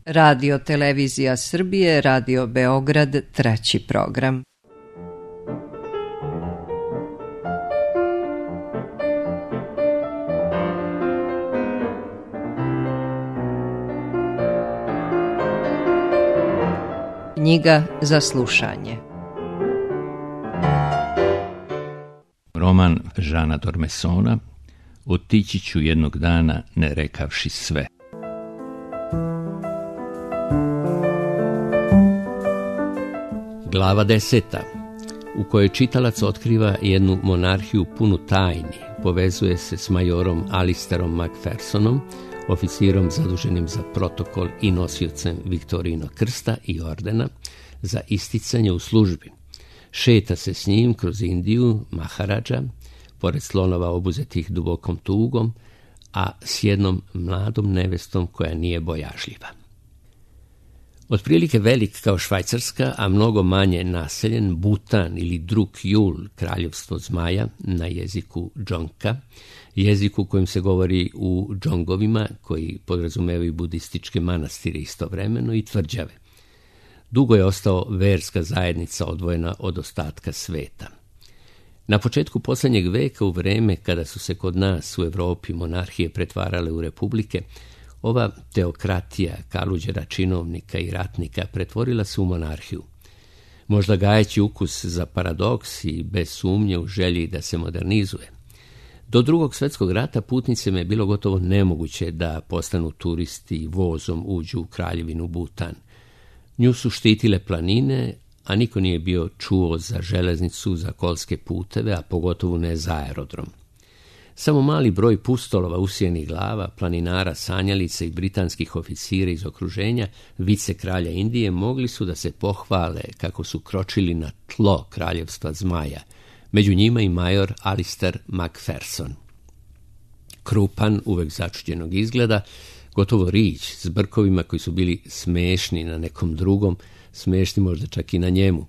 Radio Televizija Srbije, Radio Beograd, treći program. Knjiga za slušanje. Roman Žana Dormesona Otići ću jednog dana ne rekavši sve. Glava 10. u kojoj čitalac otkriva jednu monarhiju punu tajni, povezuje se s majorom Alisterom Macphersonom, oficirom zaduženim za protokol i nosiocem Viktorijinog krsta i ordena za isticanje u službi. Šeta se s njim kroz Indiju, Maharadža, pored slonova obuzetih dubokom tugom, a s jednom mladom nevestom koja nije bojažljiva. Otprilike velik kao Švajcarska, a mnogo manje naseljen, Butan ili Druk Jul, kraljevstvo zmaja, na jeziku Džonka, jeziku kojim se govori u Džongovima, koji podrazumevaju budističke manastire istovremeno, i tvrđave. Dugo je ostao verska zajednica odvojena od ostatka sveta. Na početku posljednjeg veka, u vreme kada su se kod nas u Evropi monarhije pretvarale u republike, ova teokratija kaluđera činovnika i ratnika pretvorila se u monarhiju. Možda gajeći ukus za paradoks i bez sumnje u želji da se modernizuje. Do Drugog svjetskog rata putnicima je bilo gotovo nemoguće da postanu turisti i vozom uđu u kraljevinu Butan. Nju su štitile planine, a niko nije bio čuo za železnicu, za kolske puteve, a pogotovo ne za aerodrom. Samo mali broj pustolova usijenih glava, planinara, sanjalica i britanskih oficira iz okruženja vice kralja Indije mogli su da se pohvale kako su kročili na tlo kraljevstva zmaja, među njima i major Alister Macpherson. Krupan, uvek začuđenog izgleda, gotovo rić, s brkovima koji su bili smešni na nekom drugom, smešni možda čak i na njemu.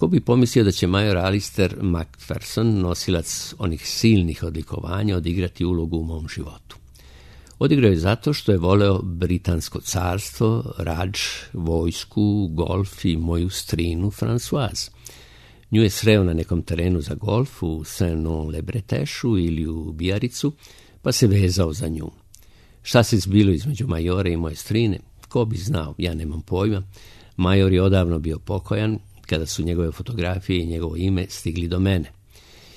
Ko bi pomislio da će major Alister Macpherson, nosilac onih silnih odlikovanja, odigrati ulogu u mom životu. Odigrao je zato što je voleo britansko carstvo, radž, vojsku, golf i moju strinu Françoise. Nju je sreo na nekom terenu za golf u Saint-Non-le-Bretešu ili u Bijaricu, pa se vezao za nju. Šta se zbilo između majore i moje strine? Ko bi znao, ja nemam pojma. Major je odavno bio pokojan kada su njegove fotografije i njegovo ime stigli do mene.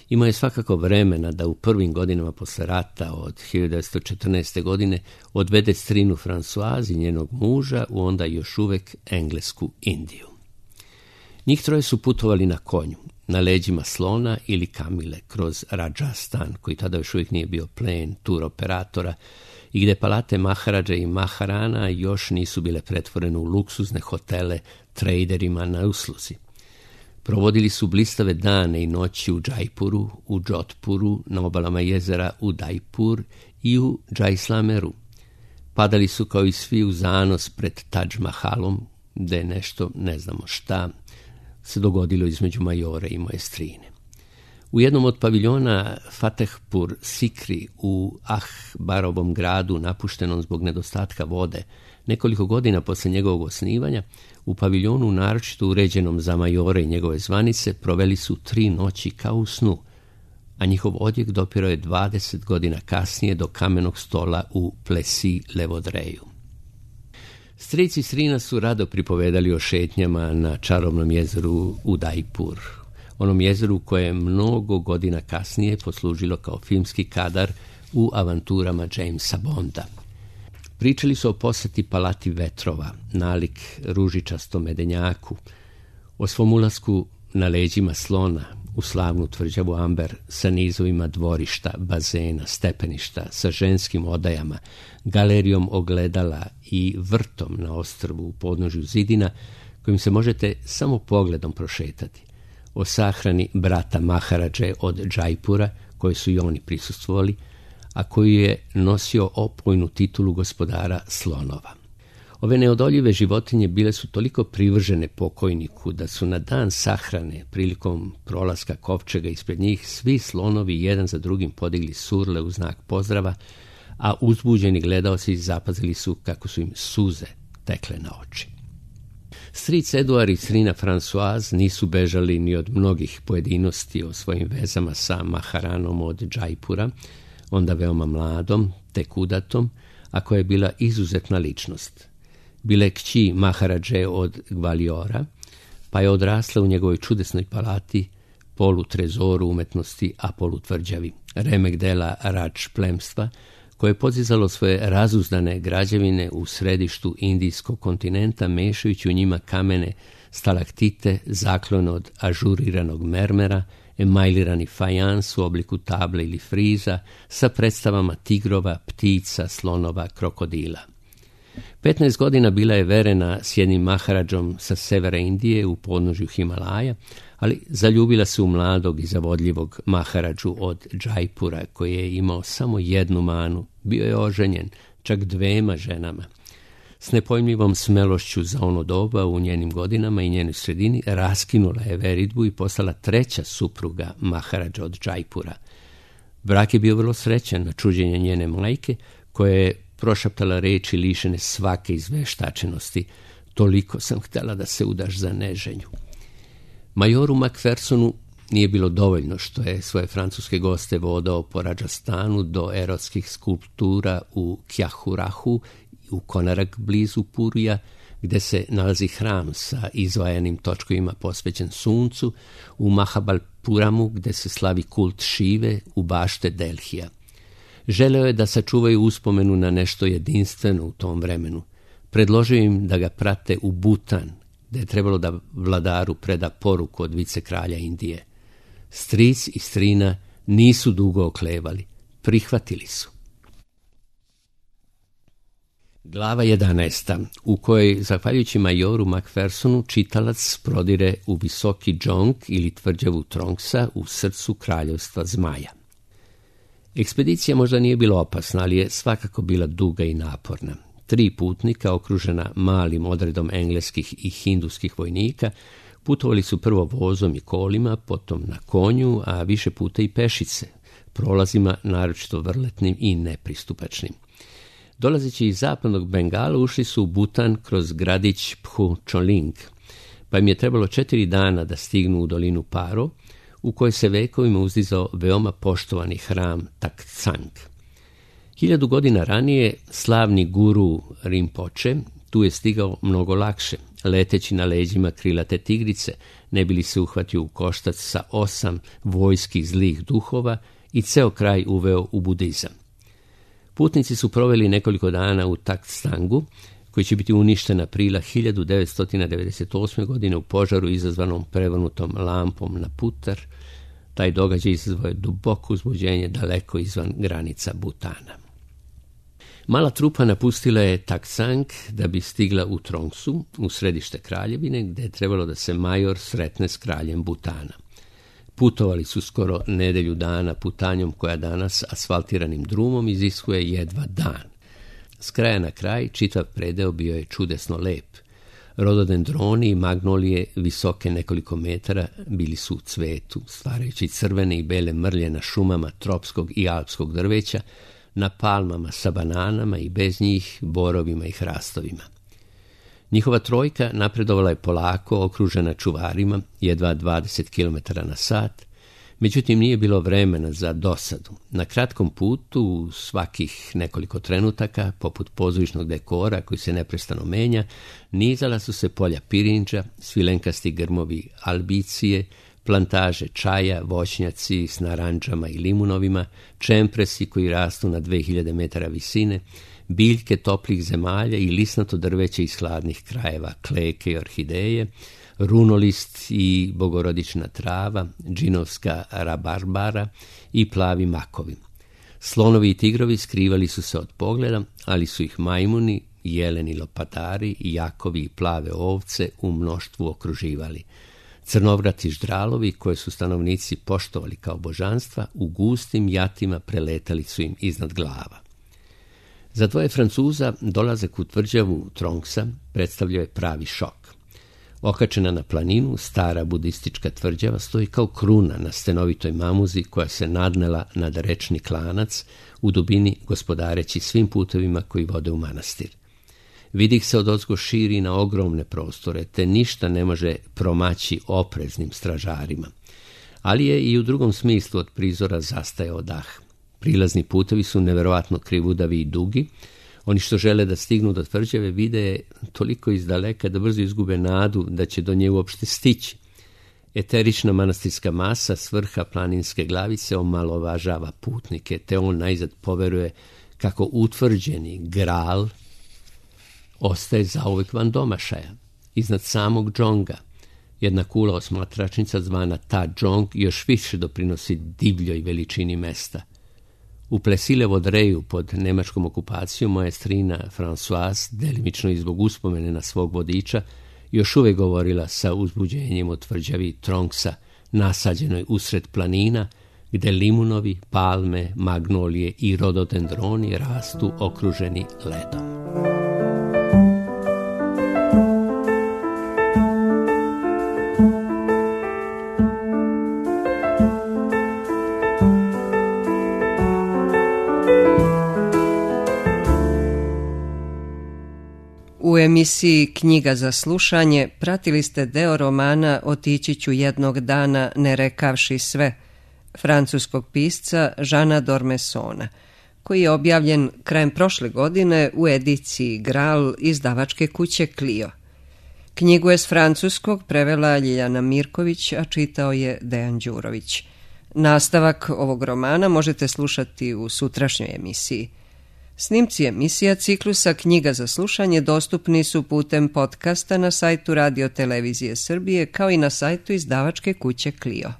Imao je svakako vremena da u prvim godinama posle rata od 1914. godine odvede strinu Françoise i njenog muža u onda još uvek englesku Indiju. Njih troje su putovali na konju, na leđima slona ili kamile kroz Rajasthan, koji tada još uvijek nije bio plen tur operatora, i gde palate Maharadže i Maharana još nisu bile pretvorene u luksuzne hotele traderima na usluzi. Provodili su blistave dane i noći u Džajpuru, u Džotpuru, na obalama jezera Udaipur i u Džajslameru. Padali su kao i svi u zanos pred Taj Mahalom, gde je nešto, ne znamo šta, se dogodilo između majore i moje strine. U jednom od paviljona Fatehpur Sikri u Ahbarovom gradu, napuštenom zbog nedostatka vode, nekoliko godina posle njegovog osnivanja, u paviljonu naročito uređenom za majore i njegove zvanice proveli su 3 noći kao u snu, a njihov odjek dopirao je 20 godina kasnije do kamenog stola u Plessis-le-Vaudreuil. Stric i strina su rado pripovedali o šetnjama na čarobnom jezeru Udaipur, onom jezeru koje je mnogo godina kasnije poslužilo kao filmski kadar u avanturama Jamesa Bonda. Pričali su o poseti Palati vetrova, nalik ružičastom medenjaku, o svom ulasku na leđima slona u slavnu tvrđavu Amber sa nizovima dvorišta, bazena, stepeništa, sa ženskim odajama, galerijom ogledala i vrtom na ostrvu u podnožju zidina, kojim se možete samo pogledom prošetati, o sahrani brata Maharadže od Džajpura, koje su i oni prisustvovali, a koji je nosio opojnu titulu gospodara slonova. Ove neodoljive životinje bile su toliko privržene pokojniku da su na dan sahrane, prilikom prolaska kovčega ispred njih, svi slonovi jedan za drugim podigli surle u znak pozdrava, a uzbuđeni gledaoci zapazili su kako su im suze tekle na oči. Stric Eduard i strina Françoise nisu bežali ni od mnogih pojedinosti o svojim vezama sa Maharanom od Džajpura, onda veoma mladom, tek udatom, a koja je bila izuzetna ličnost. Bila je kći Maharadže od Gvaliora, pa je odrasla u njegovoj čudesnoj palati, polutrezoru umetnosti, a polutvrđavi, remek dela Rač plemstva, koje je podizalo svoje razuzdane građevine u središtu indijskog kontinenta, mešajući u njima kamene stalaktite, zaklone od ažuriranog mermera, emajlirani fajans u obliku table ili friza, sa predstavama tigrova, ptica, slonova, krokodila. 15 godina bila je verena s jednim Maharadžom sa severa Indije u podnožju Himalaja, ali zaljubila se u mladog i zavodljivog Maharadžu od Džajpura, koji je imao samo jednu manu, bio je oženjen, čak 2 ženama. S nepojmljivom smelošću za ono doba u njenim godinama i njenoj sredini raskinula je veridbu i postala 3. supruga Maharadža od Džajpura. Brak je bio vrlo srećan na čuđenje njene majke, koja je prošaptala reči lišene svake izveštačenosti: toliko sam htjela da se udaš za neženju. Majoru Macphersonu nije bilo dovoljno što je svoje francuske goste vodao po Radžastanu do erotskih skulptura u Kjahurahu, u Konarak blizu Purija, gde se nalazi hram sa izvajanim točkovima posvećen suncu, u Mahabalpuramu, gde se slavi kult Šive, u bašte Delhija. Želeo je da sačuvaju uspomenu na nešto jedinstveno u tom vremenu. Predložio im da ga prate u Butan, gde je trebalo da vladaru preda poruku od vicekralja Indije. Stric i strina nisu dugo oklevali, prihvatili su. Glava 11. u kojoj, zahvaljujući majoru Macphersonu, čitalac prodire u visoki džong ili tvrđavu Trongsa u srcu kraljevstva zmaja. Ekspedicija možda nije bila opasna, ali je svakako bila duga i naporna. 3 putnika, okružena malim odredom engleskih i hinduskih vojnika, putovali su prvo vozom i kolima, potom na konju, a više puta i pešice, prolazima naročito vrletnim i nepristupačnim. Dolazeći iz zapadnog Bengala, ušli su u Butan kroz gradić Phu Choling, pa im je trebalo 4 dana da stignu u dolinu Paro, u kojoj se vekovima uzdizao veoma poštovani hram Taktsang. 1000 godina ranije slavni guru Rinpoche tu je stigao mnogo lakše, leteći na leđima krilate tigrice, ne bi li se uhvatio u koštac sa 8 vojskih zlih duhova i ceo kraj uveo u budizam. Putnici su proveli nekoliko dana u Taktsangu, koji će biti uništen aprila 1998. godine u požaru izazvanom prevrnutom lampom na putar. Taj događaj izazvao je duboko uzbuđenje daleko izvan granica Butana. Mala trupa napustila je Taktsang da bi stigla u Trongsu, u središte kraljevine, gde je trebalo da se major sretne s kraljem Butana. Putovali su skoro nedelju dana putanjom koja danas asfaltiranim drumom iziskuje jedva dan. S kraja na kraj čitav predeo bio je čudesno lep. Rododendroni i magnolije visoke nekoliko metara bili su u cvetu, stvarajući crvene i bele mrlje na šumama tropskog i alpskog drveća, na palmama sa bananama i bez njih borovima i hrastovima. Njihova trojka napredovala je polako, okružena čuvarima, jedva 20 km na sat, međutim nije bilo vremena za dosadu. Na kratkom putu, svakih nekoliko trenutaka, poput pozorišnog dekora koji se neprestano menja, nizala su se polja pirinđa, svilenkasti grmovi albicije, plantaže čaja, voćnjaci s naranđama i limunovima, čempresi koji rastu na 2000 metara visine, biljke toplih zemalja i lisnato drveće iz hladnih krajeva, kleke i orhideje, runolist i bogorodična trava, džinovska rabarbara i plavi makovi. Slonovi i tigrovi skrivali su se od pogleda, ali su ih majmuni, jeleni lopatari, jakovi i plave ovce u mnoštvu okruživali. Crnovrati ždralovi, koje su stanovnici poštovali kao božanstva, u gustim jatima preletali su im iznad glava. Za 2 Francuza dolazak u tvrđavu Trongsa predstavljao je pravi šok. Okačena na planinu, stara budistička tvrđava stoji kao kruna na stenovitoj mamuzi koja se nadnela nad rečni klanac u dubini, gospodareći svim putovima koji vode u manastir. Vidik se odozgo širi na ogromne prostore, te ništa ne može promaći opreznim stražarima. Ali je i u drugom smislu od prizora zastajao dah. Prilazni putevi su neverovatno krivudavi i dugi. Oni što žele da stignu do tvrđave vide je toliko izdaleka da brzo izgube nadu da će do nje uopšte stići. Eterična manastirska masa s vrha planinske glavice omalovažava putnike, te on najzad poveruje kako utvrđeni Gral ostaje zauvek van domašaja. Iznad samog džonga jedna kula osmatračnica zvana Ta džong još više doprinosi divljoj veličini mesta. U Plesilevo Dreju pod nemačkom okupacijom moja strina Françoise, delimično i zbog uspomene na svog vodiča, još uvijek govorila sa uzbuđenjem o tvrđavi Tronksa, nasađenoj usred planina, gde limunovi, palme, magnolije i rododendroni rastu okruženi ledom. U emisiji Knjiga za slušanje pratili ste deo romana Otići ću jednog dana ne rekavši sve, francuskog pisca Jeana d'Ormessona, koji je objavljen krajem prošle godine u ediciji Gral izdavačke kuće Clio. Knjigu je s francuskog prevela Ljiljana Mirković, a čitao je Dejan Đurović. Nastavak ovog romana možete slušati u sutrašnjoj emisiji. Snimci emisija ciklusa Knjiga za slušanje dostupni su putem podcasta na sajtu Radio Televizije Srbije kao i na sajtu izdavačke kuće Clio.